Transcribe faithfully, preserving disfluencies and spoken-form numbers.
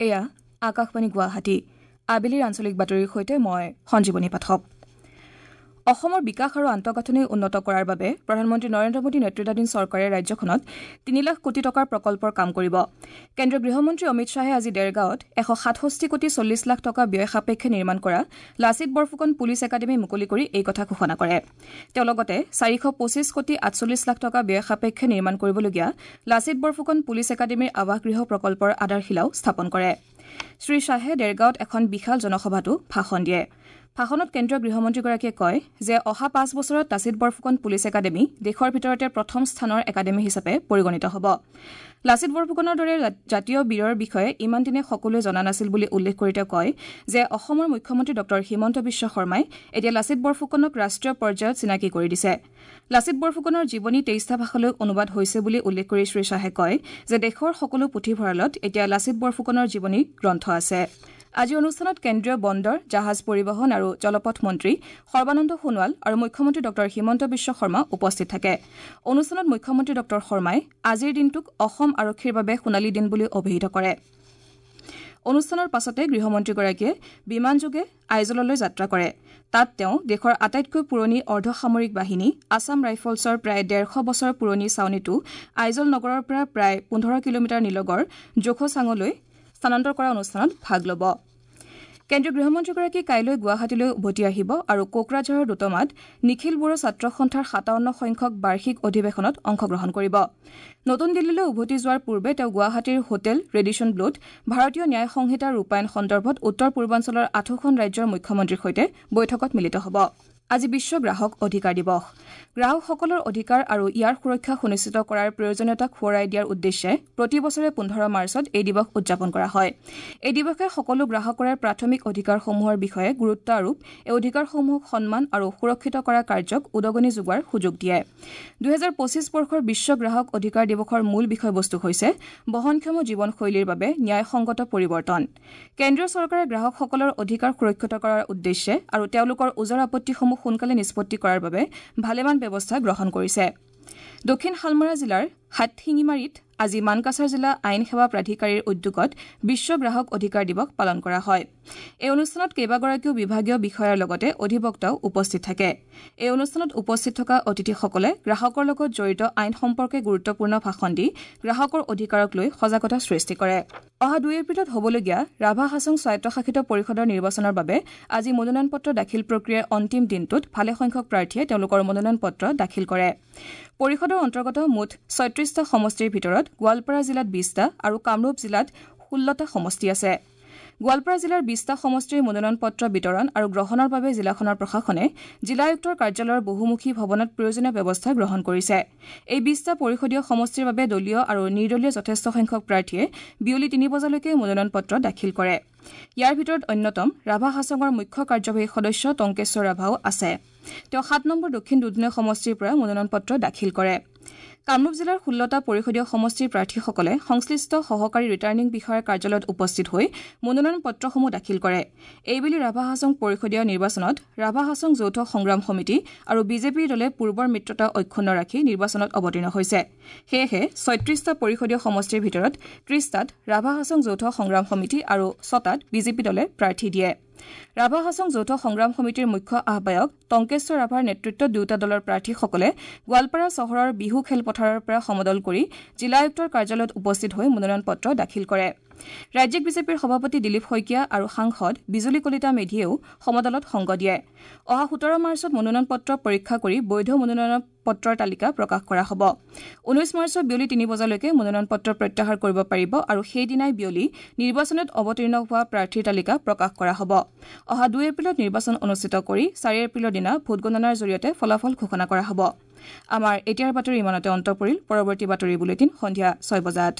এয়া আকাশবাণী গুৱাহাটী। আবেলিৰ আঞ্চলিক বাতৰিৰ সৈতে মই সঞ্জীৱনী পাঠক। অসমৰ বিকাশ আৰু আন্তঃগাঁথনি উন্নত কৰাৰ বাবে প্ৰধানমন্ত্ৰী নৰেন্দ্ৰ মোদী নেতৃত্বাধীন চৰকাৰে ৰাজ্যখনত তিনি লাখ কোটি টকাৰ প্ৰকল্পৰ কাম কৰিব। কেন্দ্ৰীয় গৃহমন্ত্ৰী অমিত শ্বাহে আজি দেৰগাঁৱত এশ সাতষষ্ঠি কোটি চল্লিছ লাখ টকা ব্যয় সাপেক্ষে নিৰ্মাণ কৰা লাচিত বৰফুকন পুলিচ একাডেমী মুকলি কৰি এই কথা ঘোষণা কৰে। তেওঁ লগতে চাৰিশ পঁচিছ কোটি আঠচল্লিছ লাখ টকা ব্যয় সাপেক্ষে নিৰ্মাণ কৰিবলগীয়া লাচিত বৰফুকন পুলিচ একাডেমীৰ আৱাসগৃহ প্ৰকল্পৰ আধাৰশিলাও স্থাপন কৰে। শ্ৰী শ্বাহে দেৰগাঁৱত এখন বিশাল জনসভাতো ভাষণ দিয়ে। ভাষণত কেন্দ্ৰীয় গৃহমন্ত্ৰীগৰাকীয়ে কয় যে অহা পাঁচ বছৰত লাচিত বৰফুকন পুলিচ একাডেমী দেশৰ ভিতৰতে প্ৰথম স্থানৰ একাডেমী হিচাপে পৰিগণিত হ'ব। লাচিত বৰফুকনৰ দৰে জাতীয় বীৰৰ বিষয়ে ইমান দিনে সকলোৱে জনা নাছিল বুলি উল্লেখ কৰি তেওঁ কয় যে অসমৰ মুখ্যমন্ত্ৰী ডঃ হিমন্ত বিশ্ব শৰ্মাই এতিয়া লাচিত বৰফুকনক ৰাষ্ট্ৰীয় পৰ্যায়ত চিনাকি কৰি দিছে। লাচিত বৰফুকনৰ জীৱনী তেইছটা ভাষালৈ অনুবাদ হৈছে বুলি উল্লেখ কৰি শ্ৰী শ্বাহে কয় যে দেশৰ সকলো পুথিভঁৰালত এতিয়া লাচিত বৰফুকনৰ জীৱনী গ্ৰন্থ আছে। আজিৰ অনুষ্ঠানত কেন্দ্ৰীয় বন্দৰ, জাহাজ পৰিবহণ আৰু জলপথ মন্ত্ৰী সৰ্বানন্দ সোণোৱাল আৰু মুখ্যমন্ত্ৰী ডঃ হিমন্ত বিশ্ব শৰ্মা উপস্থিত থাকে। অনুষ্ঠানত মুখ্যমন্ত্ৰী ডঃ শৰ্মাই আজিৰ দিনটোক অসম আৰক্ষীৰ বাবে সোণালী দিন বুলি অভিহিত কৰে। অনুষ্ঠানৰ পাছতে গৃহমন্ত্ৰীগৰাকীয়ে বিমানযোগে আইজললৈ যাত্ৰা কৰে। তাত তেওঁ দেশৰ আটাইতকৈ পুৰণি অৰ্ধসামৰিক বাহিনী আছাম ৰাইফলছৰ প্ৰায় ডেৰশ বছৰ পুৰণি ছাউনীটো আইজল নগৰৰ পৰা প্ৰায় পোন্ধৰ কিলোমিটাৰ নিলগৰ জোখচাঙলৈ স্থানান্তৰ কৰা অনুষ্ঠানত ভাগ ল'ব। কেন্দ্ৰীয় গৃহমন্ত্ৰীগৰাকী কাইলৈ গুৱাহাটীলৈ উভতি আহিব আৰু কোকৰাঝাৰৰ দোতমাত নিখিল বড়ো ছাত্ৰ সন্থাৰ সাতাৱন্ন সংখ্যক বাৰ্ষিক অধিৱেশনত অংশগ্ৰহণ কৰিব। নতুন দিল্লীলৈ উভতি যোৱাৰ পূৰ্বে তেওঁ গুৱাহাটীৰ হোটেল ৰেডিছন ব্লুত ভাৰতীয় ন্যায় সংহিতাৰ ৰূপায়ণ সন্দৰ্ভত উত্তৰ পূৰ্বাঞ্চলৰ আঠোখন ৰাজ্যৰ মুখ্যমন্ত্ৰীৰ সৈতে বৈঠকত মিলিত হ'ব। আজি বিশ্ব গ্ৰাহক অধিকাৰ দিৱস। গ্ৰাহকসকলৰ অধিকাৰ আৰু ইয়াৰ সুৰক্ষা সুনিশ্চিত কৰাৰ প্ৰয়োজনীয়তাক সোঁৱৰাই দিয়াৰ উদ্দেশ্যে প্ৰতি বছৰে পোন্ধৰ মাৰ্চত এই দিৱস উদযাপন কৰা হয়। এই দিৱসে সকলো গ্ৰাহকৰে প্ৰাথমিক অধিকাৰসমূহৰ বিষয়ে গুৰুত্ব আৰোপ, এই অধিকাৰসমূহক সন্মান আৰু সুৰক্ষিত কৰা কাৰ্যক উদগনি যোগোৱাৰ সুযোগ দিয়ে। দুহেজাৰ পঁচিছ বৰ্ষৰ বিশ্ব গ্ৰাহক অধিকাৰ দিৱসৰ মূল বিষয়বস্তু হৈছে বহনক্ষম জীৱনশৈলীৰ বাবে ন্যায়সংগত পৰিৱৰ্তন। কেন্দ্ৰীয় চৰকাৰে গ্ৰাহকসকলৰ অধিকাৰ সুৰক্ষিত কৰাৰ উদ্দেশ্যে আৰু তেওঁলোকৰ ওজৰ আপত্তিসমূহ সোনকালে নিষ্পত্তি কৰাৰ বাবে ভালেমান ব্যৱস্থা গ্ৰহণ কৰিছে। দক্ষিণ শালমৰা জিলাৰ হাটশিঙিমাৰীত আজি মানকাছাৰ জিলা আইন সেৱা প্ৰাধিকাৰীৰ উদ্যোগত বিশ্ব গ্ৰাহক অধিকাৰ দিৱস পালন কৰা হয়। এই অনুষ্ঠানত কেইবাগৰাকীও বিভাগীয় বিষয়াৰ লগতে অধিবক্তাও উপস্থিত থাকে। এই অনুষ্ঠানত উপস্থিত থকা অতিথিসকলে গ্ৰাহকৰ লগত জড়িত আইন সম্পৰ্কে গুৰুত্বপূৰ্ণ ভাষণ দি গ্ৰাহকৰ অধিকাৰক লৈ সজাগতা সৃষ্টি কৰে। অহা দুই এপ্ৰিলত হ'বলগীয়া ৰাভা হাছং স্বায়ত্তশাসিত পৰিষদৰ নিৰ্বাচনৰ বাবে আজি মনোনয়ন পত্ৰ দাখিল প্ৰক্ৰিয়াৰ অন্তিম দিনটোত ভালেসংখ্যক প্ৰাৰ্থীয়ে তেওঁলোকৰ মনোনয়ন পত্ৰ দাখিল কৰে। পৰিষদৰ অন্তৰ্গত মুঠ ছয়ত্ৰিছটা সমষ্টিৰ ভিতৰত গোৱালপাৰা জিলাত বিছটা আৰু কামৰূপ জিলাত ষোল্লটা সমষ্টি আছে। গোৱালপাৰা জিলাৰ বিছটা সমষ্টিৰ মনোনয়ন পত্ৰ বিতৰণ আৰু গ্ৰহণৰ বাবে জিলাখনৰ প্ৰশাসনে জিলা আয়ুক্তৰ কাৰ্যালয়ৰ বহুমুখী ভৱনত প্ৰয়োজনীয় ব্যৱস্থা গ্ৰহণ কৰিছে। এই বিছটা পৰিষদীয় সমষ্টিৰ বাবে দলীয় আৰু নিৰ্দলীয় যথেষ্ট সংখ্যক প্ৰাৰ্থীয়ে বিয়লি তিনি বজালৈকে মনোনয়ন পত্ৰ দাখিল কৰে। ইয়াৰ ভিতৰত অন্যতম ৰাভা হাছঙৰ মুখ্য কাৰ্যবাহী সদস্য টংকেশ্বৰ ৰাভাও আছে। তেওঁ সাত নম্বৰ দক্ষিণ দুধনৈ সমষ্টিৰ পৰা মনোনয়ন পত্ৰ দাখিল কৰে। কামৰূপ জিলাৰ ষোল্লটা পৰিষদীয় সমষ্টিৰ প্ৰাৰ্থীসকলে সংশ্লিষ্ট সহকাৰী ৰিটাৰ্ণিং বিষয়াৰ কাৰ্যালয়ত উপস্থিত হৈ মনোনয়ন পত্ৰসমূহ দাখিল কৰে। এইবেলি ৰাভা হাছং পৰিষদীয় নিৰ্বাচনত ৰাভা হাছং যৌথ সংগ্ৰাম সমিতি আৰু বিজেপিৰ দলে পূৰ্বৰ মিত্ৰতা অক্ষুণ্ণ ৰাখি নিৰ্বাচনত অৱতীৰ্ণ হৈছে। সেয়েহে ছয়ত্ৰিছটা পৰিষদীয় সমষ্টিৰ ভিতৰত ত্ৰিছটাত ৰাভা হাছং যৌথ সংগ্ৰাম সমিতি আৰু ছটাত বিজেপি দলে প্ৰাৰ্থী দিয়ে। ৰাভা হাছং যৌথ সংগ্ৰাম সমিতিৰ মুখ্য আহ্বায়ক টংকেশ্বৰ ৰাভাৰ নেতৃত্বত দুয়োটা দলৰ প্ৰাৰ্থীসকলে গোৱালপাৰা চহৰৰ বিহু খেলপথাৰৰ পৰা সমদল কৰি জিলা আয়ুক্তৰ কাৰ্যালয়ত উপস্থিত হৈ মনোনয়ন পত্ৰ দাখিল কৰে। ৰাজ্যিক বিজেপিৰ সভাপতি দিলীপ শইকীয়া আৰু সাংসদ বিজুলী কলিতা মেধিয়েও সমদলত সংগ দিয়ে। অহা সোতৰ মাৰ্চত মনোনয়ন পত্ৰ পৰীক্ষা কৰি বৈধ মনোনয়ন পত্ৰৰ তালিকা প্ৰকাশ কৰা হ'ব। ঊনৈছ মাৰ্চত বিয়লি তিনি বজালৈকে মনোনয়ন পত্ৰ প্ৰত্যাহাৰ কৰিব পাৰিব আৰু সেইদিনাই বিয়লি নিৰ্বাচনত অৱতীৰ্ণ হোৱা প্ৰাৰ্থীৰ তালিকা প্ৰকাশ কৰা হ'ব। অহা দুই এপ্ৰিলত নিৰ্বাচন অনুষ্ঠিত কৰি চাৰি এপ্ৰিলৰ দিনা ভোটগণনাৰ জৰিয়তে ফলাফল ঘোষণা কৰা হ'ব। আমাৰ এতিয়াৰ বাতৰি ইমানতে অন্ত পৰিল। পৰৱৰ্তী বাতৰি বুলেটিন সন্ধিয়া ছয় বজাত।